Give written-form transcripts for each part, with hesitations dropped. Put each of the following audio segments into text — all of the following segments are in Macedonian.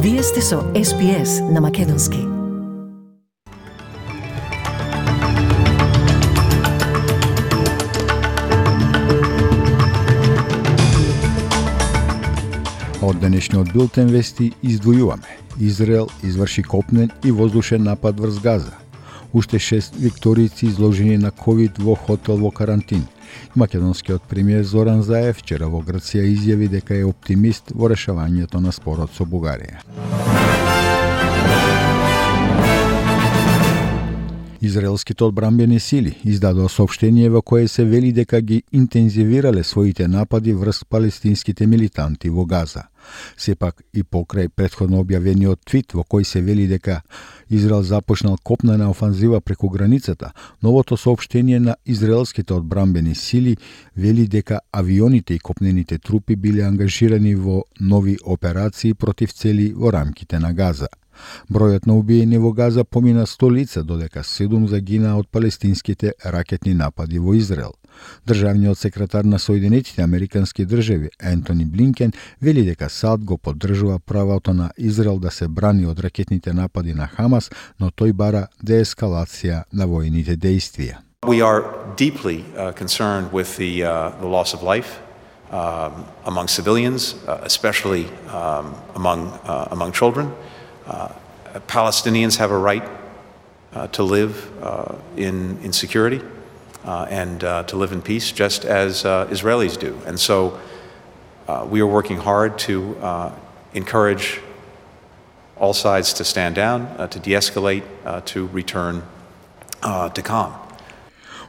Вие сте со SPS на Македонски. Од денешниот билтен вести издвојуваме. Израел изврши копнен и воздушен напад врз Газа. Уште 6 викторици изложени на ковид во хотел во карантин. Македонскиот премиер Зоран Заев вчера во Грција изјави дека е оптимист во решавањето на спорот со Бугарија. Израелските одбранбени сили издадоа соопштение во кое се вели дека ги интензивирале своите напади врз палестинските милитанти во Газа. Сепак и покрај претходно објавениот твит во кој се вели дека Израел започнал копнена офанзива преку границата, новото соопштение на израелските одбранбени сили вели дека авионите и копнените трупи биле ангажирани во нови операции против цели во рамките на Газа. Бројот на убиени во Газа помина 100 лица, додека 7 загина од палестинските ракетни напади во Израел. Државниот секретар на Соединетите Американски држави Ентони Блинкен вели дека САД го поддржува правото на Израел да се брани од ракетните напади на Хамас, но тој бара деескалација на војните действија. We are deeply concerned with the loss of life among civilians, especially among children. Palestinians have a right to live in security and to live in peace, just as Israelis do. And so we are working hard to encourage all sides to stand down, to de-escalate, to return to calm.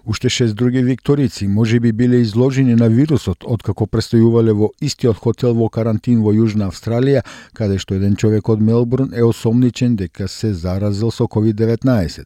Уште 6 други викторици можеби биле изложени на вирусот откако престојувале во истиот хотел во карантин во Јужна Австралија, каде што еден човек од Мелбурн е осомничен дека се заразил со COVID-19.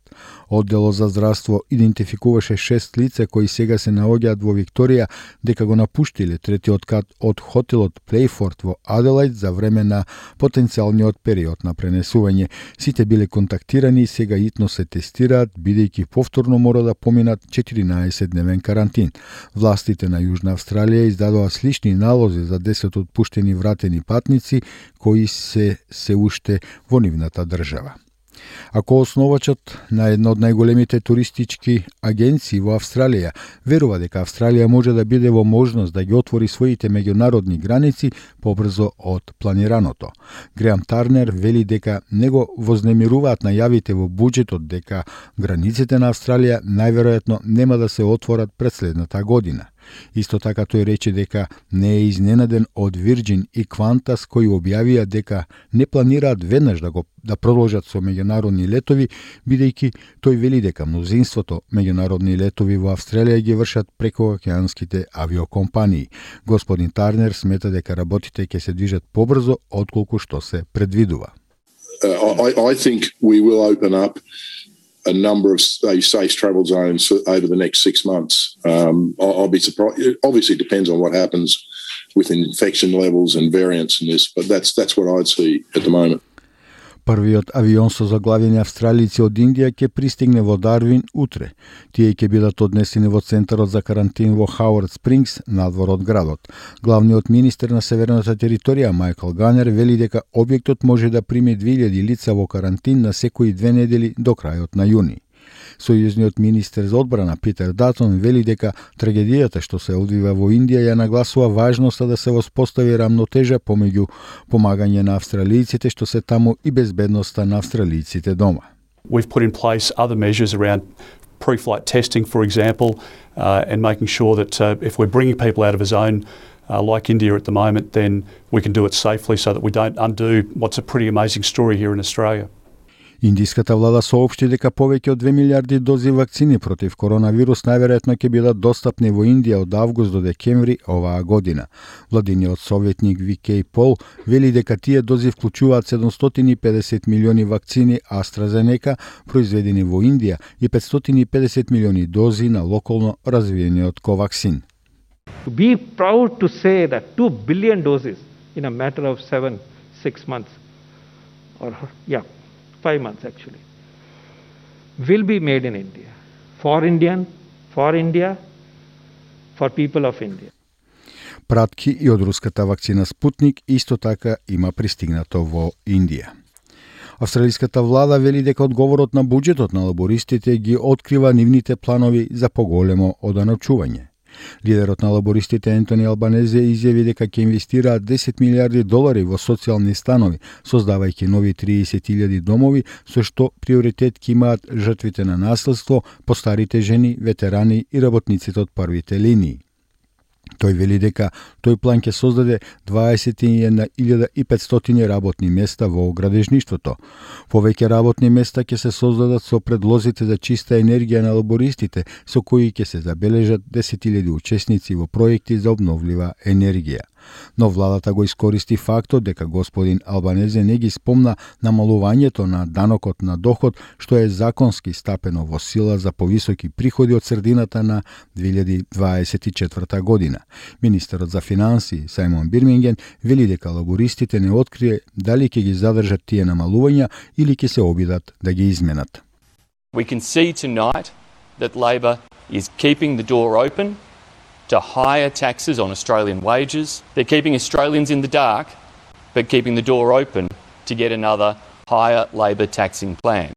Одделот за здравство идентификуваше 6 лица кои сега се наоѓаат во Викторија дека го напуштиле третиот кат од хотелот Плейфорд во Аделаид за време на потенцијалниот период на пренесување. Сите биле контактирани и сега итно се тестираат, бидејќи повторно мора да поминат 14-дневен карантин. Властите на Јужна Австралија издадоа слични налози за 10 отпуштени вратени патници кои се уште во нивната држава. Ако основачот на една од најголемите туристички агенции во Австралија верува дека Австралија може да биде во можност да ги отвори своите меѓународни граници побрзо од планираното. Греам Тарнер вели дека него вознемируваат најавите во буџетот дека границите на Австралија најверојатно нема да се отворат пред следната година. Исто така тој рече дека не е изненаден од Virgin и Qantas кои објавија дека не планираат веднаш да продолжат со меѓународни летови, бидејќи тој вели дека мнозинството меѓународни летови во Австралија ги вршат преку океанските авиокомпании. Господин Тарнер смета дека работите ќе се движат побрзо отколку што се предвидува. I think we will open up a number of safe travel zones over the next 6 months. I'll be surprised. It obviously depends on what happens with infection levels and variants in this, but that's what I'd see at the moment. Првиот авион со заглавени австралици од Индија ќе пристигне во Дарвин утре. Тие ќе бидат однесени во центарот за карантин во Хауард Спрингс, надвор од градот. Главниот министер на северната територија Майкл Ганер вели дека објектот може да прими 2000 лица во карантин на секои 2 недели до крајот на јуни. Сојузниот министер за одбрана Питер Датон вели дека трагедијата што се одвива во Индија ја нагласува важноста да се воспостави рамнотежа помеѓу помагање на австралијците што се таму и безбедноста на австралијците дома. We've put in place other measures around pre-flight testing, for example, and making sure that if we're bringing people out of a zone like India at the moment, then we can do it safely so that we don't undo what's a pretty amazing story here in Australia. Индиската влада соопшти дека повеќе од 2 милиарди дози вакцини против коронавирус најверојатно ќе бидат достапни во Индија од август до декември оваа година. Владиниот советник Викеј Пол вели дека тие дози вклучуваат 750 милиони вакцини AstraZeneca произведени во Индија и 550 милиони дози на локално развиениот Covaxin. To be proud to say that 2 billion doses in a matter of 6 months, or 5 months actually, will be made in India, for India, for people of India. пратки и од руската вакцина Спутник исто така има пристигнато во Индија. Австралиската влада вели дека одговорот на буџетот на лабористите ги открива нивните планови за поголемо оданочување. Лидерот на лабористите Ентони Албанезе изјави дека ќе инвестираат 10 милиарди долари во социјални станови, создавајќи нови 30.000 домови, со што приоритет ќе имаат жртвите на насилство, постарите жени, ветерани и работниците од првите линии. Тој вели дека тој план ќе создаде 21.500 работни места во градежништвото. Повеќе работни места ќе се создадат со предлозите за чиста енергија на лабористите, со кои ќе се забележат 10.000 учесници во проекти за обновлива енергија. Но владата го искористи фактот дека господин Албанезе не ги спомна намалувањето на данокот на доход, што е законски стапено во сила за повисоки приходи од средината на 2024 година. Министерот за финансии Сајмон Бирминген вели дека лабористите не открие дали ќе ги задржат тие намалувања или ќе се обидат да ги изменат. We can see tonight that Labor is keeping the door open to higher taxes on Australian wages. They're keeping Australians in the dark, but keeping the door open to get another higher Labor taxing plan.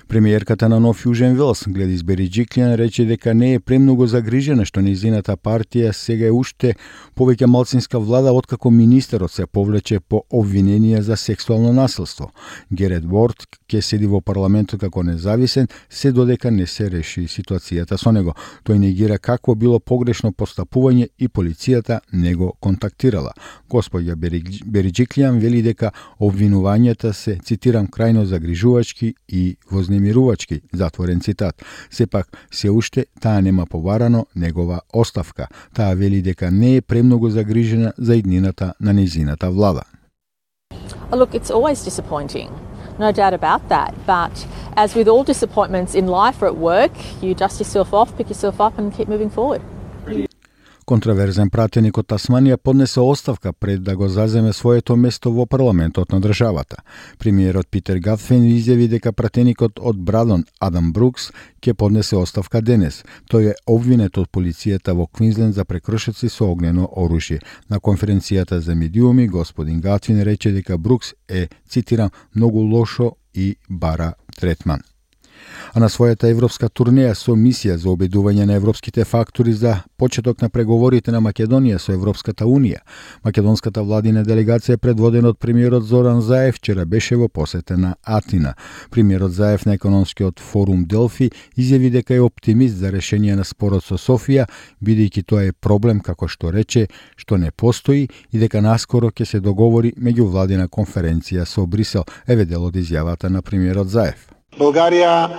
Премиерката на Нов Јужен Велс, Гледис Бериџиклијан, рече дека не е премногу загрижена што нејзината партија сега е уште повеќе малцинска влада откако министерот се повлече по обвиненија за сексуално насилство. Герет Ворд ќе седи во парламентот како независен, се додека не се реши ситуацијата со него. Тој негира какво било погрешно постапување и полицијата не го контактирала. Господја Бериџиклијан вели дека обвинувањата се, цитирам, крајно загрижувачки и вознемирувачки, затворен цитат. Сепак, се уште таа нема побарано негова оставка. Таа вели дека не е премногу загрижена за иднината на нејзината влада. Look, it's always disappointing. No doubt about that. But as with all disappointments in life or at work, you dust yourself off, pick yourself up and keep moving forward. Контраверзен пратеник од Тасманија поднесе оставка пред да го заземе своето место во парламентот на државата. Премиерот Питер Гатфен изјави дека пратеникот од Брадон Адам Брукс ќе поднесе оставка денес. Тој е обвинет од полицијата во Квинсленд за прекршоци со огнено оружје. На конференцијата за медиуми господин Гатфен рече дека Брукс е, цитирам, многу лошо и бара третман. А на својата европска турнеја со мисија за обедување на европските фактори за почеток на преговорите на Македонија со Европската Унија, македонската владина делегација предводена од премиерот Зоран Заев вчера беше во посета на Атина. Премиерот Заев на економскиот форум Делфи изјави дека е оптимист за решение на спорот со Софија, бидејќи тоа е проблем, како што рече, што не постои и дека наскоро ќе се договори меѓувладина конференција со Брисел, еве дел од изјавата на премиерот Заев. Bulgaria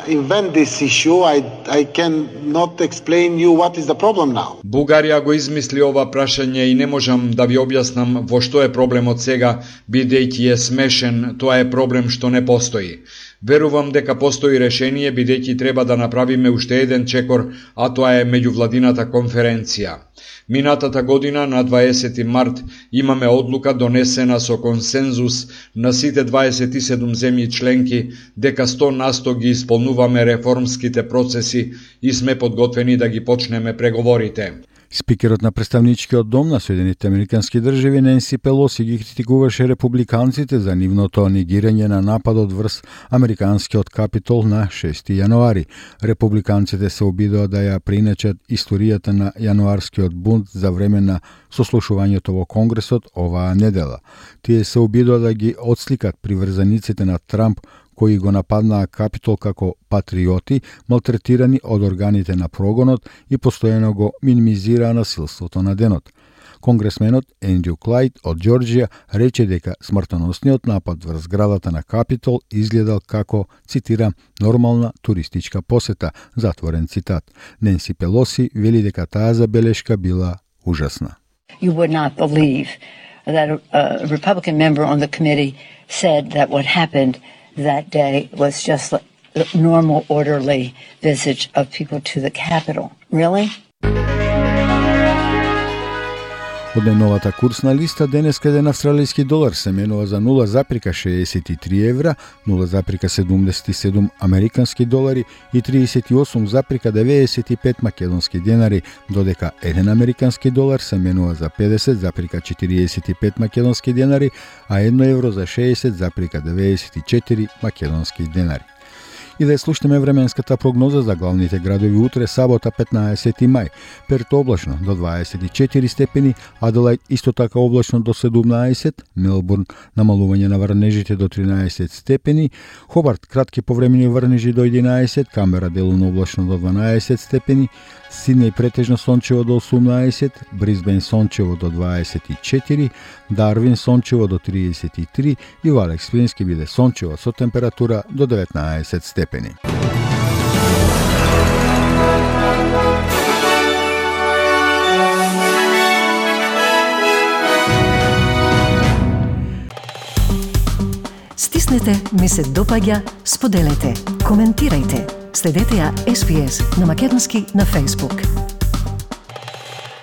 invent this issue. I cannot explain you what is the problem now. Бугарија го измисли ова прашање и не можам да ви објаснам во што е проблемот сега, бидејќи е смешен, тоа е проблем што не постои. Верувам дека постои решение, бидејќи треба да направиме уште еден чекор, а тоа е меѓувладината конференција. Минатата година, на 20 март, имаме одлука донесена со консензус на сите 27 земји членки дека 100% ги исполнуваме реформските процеси и сме подготвени да ги почнеме преговорите. Спикерот на представничкиот дом на Соединетите Американски држави Ненси Пелоси ги критикуваше републиканците за нивното негирање на нападот врз американскиот капитол на 6 јануари. Републиканците се обидоа да ја приначат историјата на јануарскиот бунт за време на сослушувањето во Конгресот оваа недела. Тие се обидоа да ги отсликат приврзаниците на Трамп кои го нападнаа Капитол како патриоти, малтретирани од органите на прогонот и постојано го минимизираа насилството на денот. Конгресменот Ендрю Клайд од Џорџија рече дека смртоносниот напад врз зградата на Капитол изгледал како, цитирам, нормална туристичка посета, затворен цитат. Ненси Пелоси вели дека таа забелешка била ужасна. You would not believe that a Republican member on the committee said that what happened that day was just a normal, orderly visit of people to the Capitol. Really? Од најновата курсна листа, денеска еден австралијски долар се менува за 0,63 евра, 0,77 американски долари и 38,95 македонски денари, додека еден американски долар се менува за 50,45 македонски денари, а 1 евро за 60,94 македонски денари. И да слушнеме временската прогноза за главните градови утре, сабота 15 мај. Перт облачно до 24 степени, Аделајд исто така облачно до 17, Мелбурн намалување на врнежите до 13 степени, Хобарт кратки повремени врнежи до 11, Камбера делумно облачно до 12 степени, Сиднеј претежно сончево до 18, Брисбен сончево до 24, Дарвин сончево до 33 и во Алекс Спрингс ќе биде сончево со температура до 19 степени. Стиснете, ми се допаѓа, споделете, коментирајте. Следете ја SPS на Македонски на Facebook.